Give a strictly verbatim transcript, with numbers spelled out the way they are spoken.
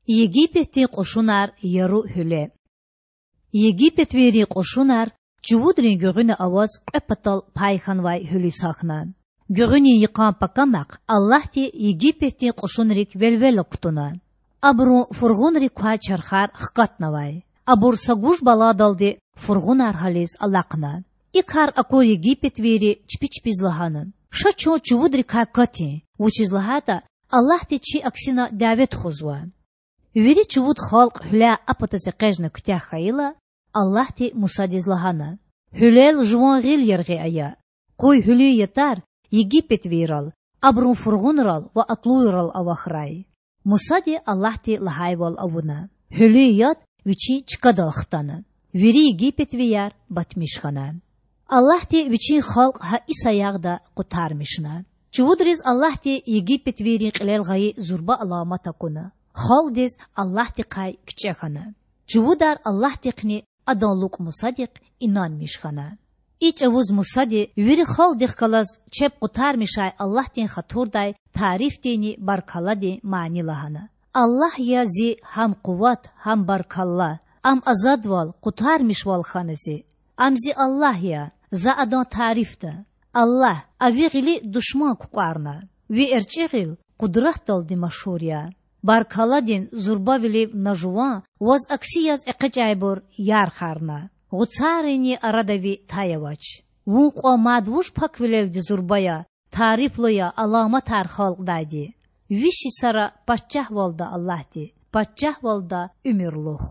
Египетдин кьушунар Яру гьуьле. Египетвийрин кьушунар чувудрин гуьгъуьна аваз кьве патал пай хьанвай гьуьлуьз гьахьна. Гуьгъуьнин йикъан пакамахъ Аллагьди Египетдин кьушунрик велвела кутуна. Абурун фургъунрик квай чархар хкатнавай. Абур са гуж баладалди фургъунар гьализ алахъна. И кар акур египетвийри чпи чпиз лагьана: Ша чун чувудрикай катин, вучиз лагьайтӀа Аллагьди чи аксина дяве тухузва. Вири чувуд халкь гьуьляй а патаз экъечӀна куьтягь хьайила, Аллагьди Мусадиз лагьана: Гьуьлел жуван гъил яргъи ая. Къуй гьуьлуьн ятар египетвийрал, абурун фургъунрал ва атлуйрал авахьрай. Мусади Аллагьди лагьайвал авуна. Гьуьлуьн яд вичин чкадал хтана. Вири египетвияр батмиш хьана. Аллагьди Вичин халкь гьа и саягъда къутармишна. Чувудриз Аллагьди египетвийрин кьилел гъайи зурба аламат акуна. Халкьдиз Аллагьдихъай кичӀе хьана. Чувудар Аллагьдихъни Адан лукӀ Мусадихъ инанмиш хьана. И чӀавуз Мусади вири халкьдихъ галаз чеб къутармишай Аллагьдин хатурдай тарифдинни баркалладин мани лагьана: Аллагь я зи гьам къуват, гьам баркалла. Ам азадвал, къутармишвал хьана зи. Ам зи Аллагь я, за Адан тарифда. Аллагь, а ви гъили душман кукӀварна. Ви эрчӀи гъил къудратдалди машгьур я. Баркалладин зурбавилив на жуван, ваз акси яз экъечӀайбур ярхарна. Гъуцаринни арада ви тай авач. Вун кьван мад вуж паквилелди зурба я, тарифлу я аламатар халкьдайди. Виш йисара пачагьвалда Аллагьди, пачагьвалда уьмуьрлух.